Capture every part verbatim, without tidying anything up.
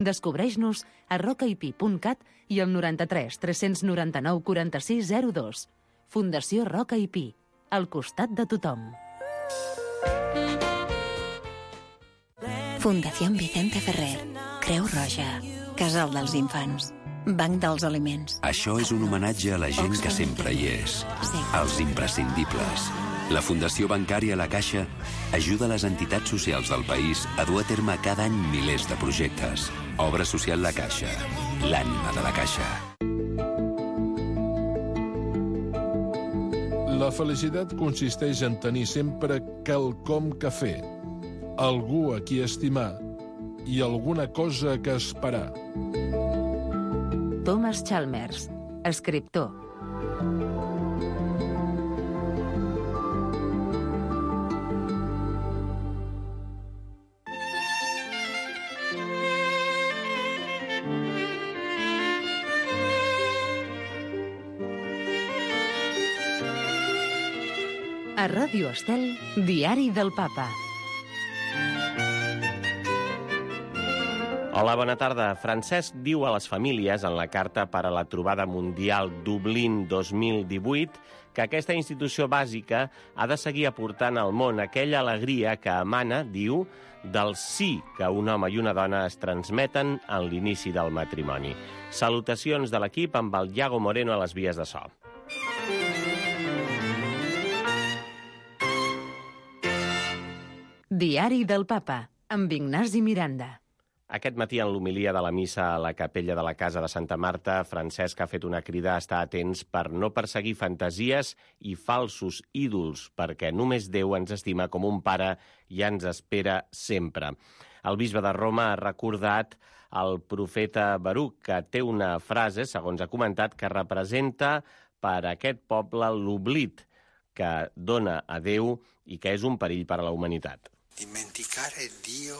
Descobreix-nos a rocaip punt cat i al noranta-tres tres noranta-nou quaranta-sis zero dos. Fundació Roca i Pi, al costat de tothom. Fundación Vicente Ferrer, Creu Roja, Casal dels Infants, Banc dels Aliments. Això és un homenatge a la gent que sempre hi és, als imprescindibles. La Fundació Bancària La Caixa ajuda les entitats socials del país a dur a terme cada any milers de projectes. Obra social La Caixa, l'ànima de la Caixa. La felicitat consisteix en tenir sempre quelcom que fer, algú a qui estimar i alguna cosa que esperar. Thomas Chalmers, escriptor. A Ràdio Estel, Diari del Papa. Hola, bona tarda. Francesc diu a les famílies en la Carta per a la Trobada Mundial Dublín dos mil divuit que aquesta institució bàsica ha de seguir aportant al món aquella alegria que emana, diu, del sí que un home i una dona es transmeten en l'inici del matrimoni. Salutacions de l'equip amb el Iago Moreno a les vies de so. Diari del Papa, amb Ignasi Miranda. Aquest matí, en l'homilia de la missa a la capella de la Casa de Santa Marta, Francesc ha fet una crida a estar atents per no perseguir fantasies i falsos ídols, perquè només Déu ens estima com un pare i ens espera sempre. El bisbe de Roma ha recordat el profeta Baruc, que té una frase, segons ha comentat, que representa per a aquest poble l'oblit que dona a Déu i que és un perill per a la humanitat. Dimenticare Dio.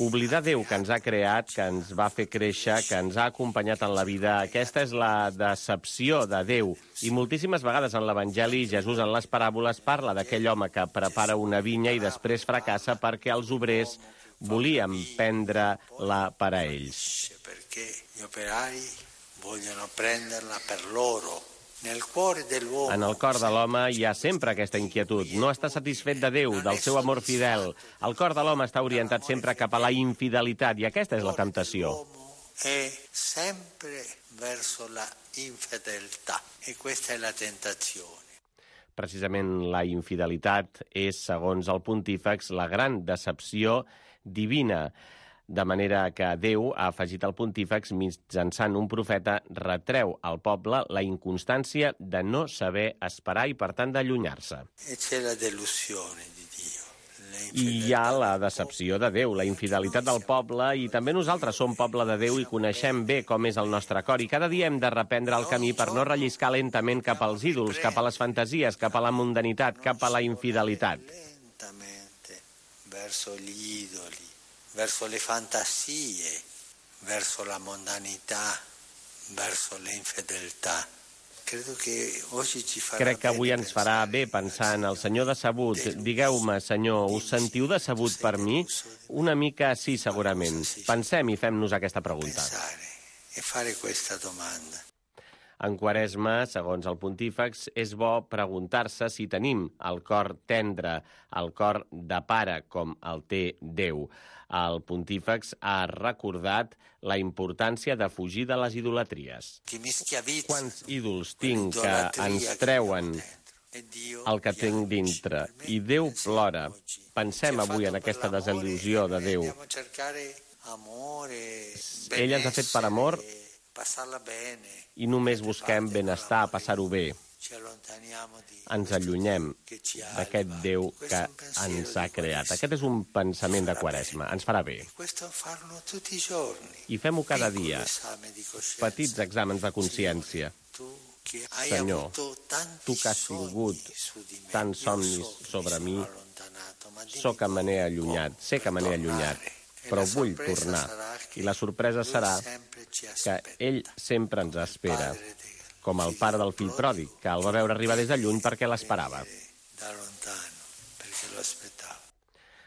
Oblidar Déu que ens ha creat, que ens va fer créixer, que ens ha acompanyat en la vida. Aquesta és la decepció de Déu. I moltíssimes vegades en l'Evangeli Jesús en les paràboles parla d'aquell home que prepara una vinya i després fracassa perquè els obrers volien prendre-la per a ells. Perquè gli operai vogliono prenderla per loro. En el cor de l'home hi ha sempre aquesta inquietud. No està satisfet de Déu, del seu amor fidel. El cor de l'home està orientat sempre cap a la infidelitat, i aquesta és la temptació. È sempre verso la infedeltà, e questa è la tentazione. Precisament la infidelitat és, segons el pontífex, la gran decepció divina. De manera que Déu, ha afegit el pontífex, mitjançant un profeta, retreu al poble la inconstància de no saber esperar i, per tant, d'allunyar-se. E c'è la delusione di Dio. I hi ha la decepció de Déu, la infidelitat del poble, i també nosaltres som poble de Déu i coneixem bé com és el nostre cor, i cada dia hem de reprendre el camí per no relliscar lentament cap als ídols, cap a les fantasies, cap a la mundanitat, cap a la infidelitat. Lentamente verso gli idoli, verso le fantasie, verso la mondanità, verso l'infedeltà. Crec que avui ens farà bé pensar en el Senyor decebut. Digueu-me, Senyor, us sentiu decebut per mi? Una mica sí, segurament. Pensem i fem-nos aquesta pregunta. En Quaresma, segons el pontífex, és bo preguntar-se si tenim el cor tendre, el cor de pare, com el té Déu. El pontífex ha recordat la importància de fugir de les idolatries. Quants ídols tinc que ens treuen el que tinc dintre? I Déu plora. Pensem avui en aquesta desil·lusió de Déu. Ell ens ha fet per amor i només busquem benestar, passar-ho bé. Ens allunyem d'aquest Déu que ens ha creat. Aquest és un pensament de Quaresma. Ens farà bé. I fem-ho cada dia. Petits exàmens de consciència. Senyor, tu que has tingut tants somnis sobre mi, so que me n'he allunyat, sé que me n'he allunyat, però vull tornar. I la sorpresa serà que ell sempre ens espera, com el pare del fill pròdig, que el va veure arribar des de lluny perquè l'esperava.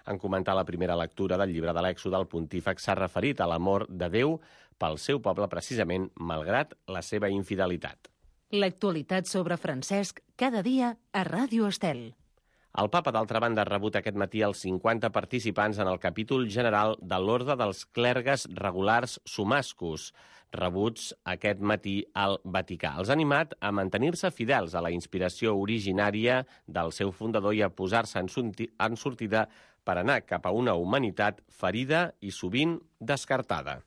En comentar la primera lectura del llibre de l'Èxode, el pontífex s'ha referit a l'amor de Déu pel seu poble precisament, malgrat la seva infidelitat. L'actualitat sobre Francesc cada dia a Ràdio Estel. El papa, d'altra banda, ha rebut aquest matí els cinquanta participants en el capítol general de l'Orde dels Clergues Regulars Somascos, rebuts aquest matí al Vaticà. Els ha animat a mantenir-se fidels a la inspiració originària del seu fundador i a posar-se en, en sortida per anar cap a una humanitat ferida i sovint descartada.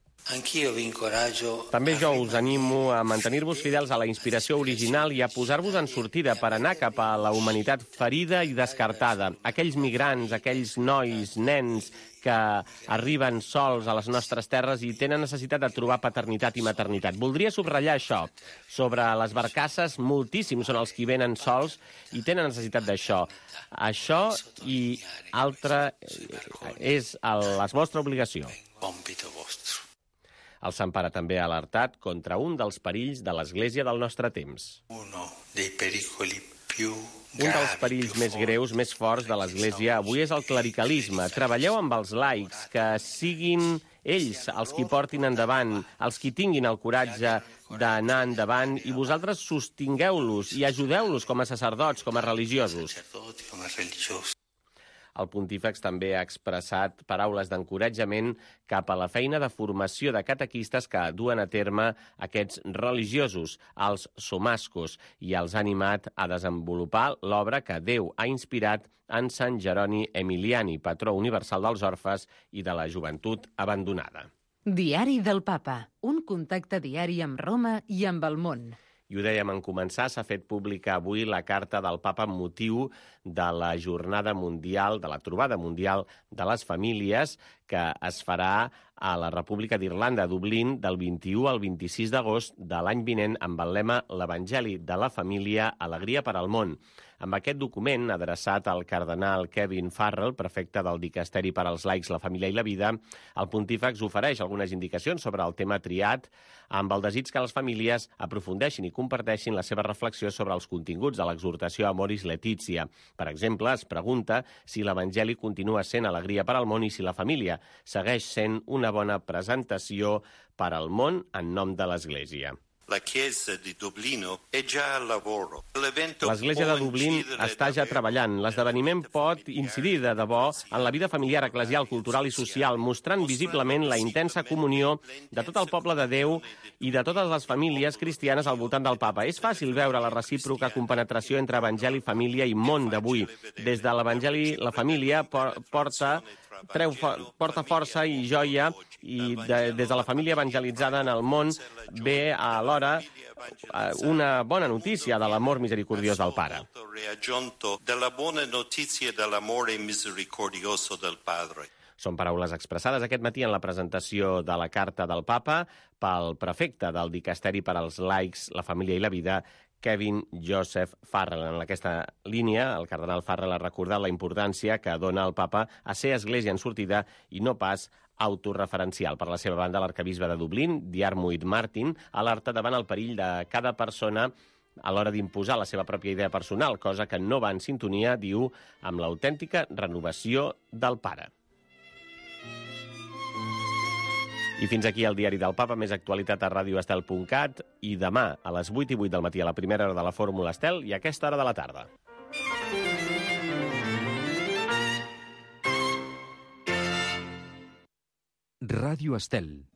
També jo us animo a mantenir-vos fidels a la inspiració original i a posar-vos en sortida per anar cap a la humanitat ferida i descartada. Aquells migrants, aquells nois, nens que arriben sols a les nostres terres i tenen necessitat de trobar paternitat i maternitat. Voldria subratllar això. Sobre les barcasses, moltíssims són els que venen sols i tenen necessitat d'això. Això i altra és la vostra obligació. El Sant Pare també ha alertat contra un dels perills de l'Església del nostre temps. Un dels perills més greus, més forts de l'Església avui és el clericalisme. Treballeu amb els laics, que siguin ells els qui portin endavant, els qui tinguin el coratge d'anar endavant, i vosaltres sostingueu-los i ajudeu-los com a sacerdots, com a religiosos. El pontífex també ha expressat paraules d'encoratjament cap a la feina de formació de catequistes que duen a terme aquests religiosos, els somascos, i els ha animat a desenvolupar l'obra que Déu ha inspirat en Sant Jeroni Emiliani, patró universal dels orfes i de la joventut abandonada. Diari del Papa, un contacte diari amb Roma i amb el món. I ho dèiem en començar, s'ha fet pública avui la carta del Papa amb motiu de la Jornada Mundial, de la Trobada Mundial de les Famílies, que es farà a la República d'Irlanda, a Dublín, del vint-i-u al vint-i-sis d'agost de l'any vinent, amb el lema «L'Evangeli de la Família, alegria per al món». Amb aquest document, adreçat al cardenal Kevin Farrell, prefecte del Dicasteri per als Laics, la Família i la Vida, el pontífex ofereix algunes indicacions sobre el tema triat, amb el desig que les famílies aprofundeixin i comparteixin la seva reflexió sobre els continguts de l'exhortació Amoris Laetitia. Per exemple, es pregunta si l'Evangeli continua sent alegria per al món i si la família segueix sent una bona presentació per al món en nom de l'Església. L'Església de Dublín està ja treballant. L'esdeveniment pot incidir de debò en la vida familiar, eclesial, cultural i social, mostrant visiblement la intensa comunió de tot el poble de Déu i de totes les famílies cristianes al voltant del Papa. És fàcil veure la recíproca compenetració entre Evangeli, família i món d'avui. Des de l'Evangeli, la família porta... Treu, porta força i joia, i de, des de la família evangelitzada en el món ve alhora una bona notícia de l'amor misericordiós del Pare. Són paraules expressades aquest matí en la presentació de la carta del Papa pel prefecte del Dicasteri per als Laics, la Família i la Vida, Kevin Joseph Farrell. En aquesta línia, el cardenal Farrell ha recordat la importància que dona el Papa a ser església en sortida i no pas autorreferencial. Per la seva banda, l'arquebisbe de Dublín, Diarmuid Martin, alerta davant el perill de cada persona a l'hora d'imposar la seva pròpia idea personal, cosa que no va en sintonia, diu, amb l'autèntica renovació del Pare. I fins aquí el Diari del Papa, més actualitat a radio estel punt cat, i demà a les vuit i vuit del matí a la primera hora de la Fórmula Estel i a aquesta hora de la tarda. Ràdio Estel.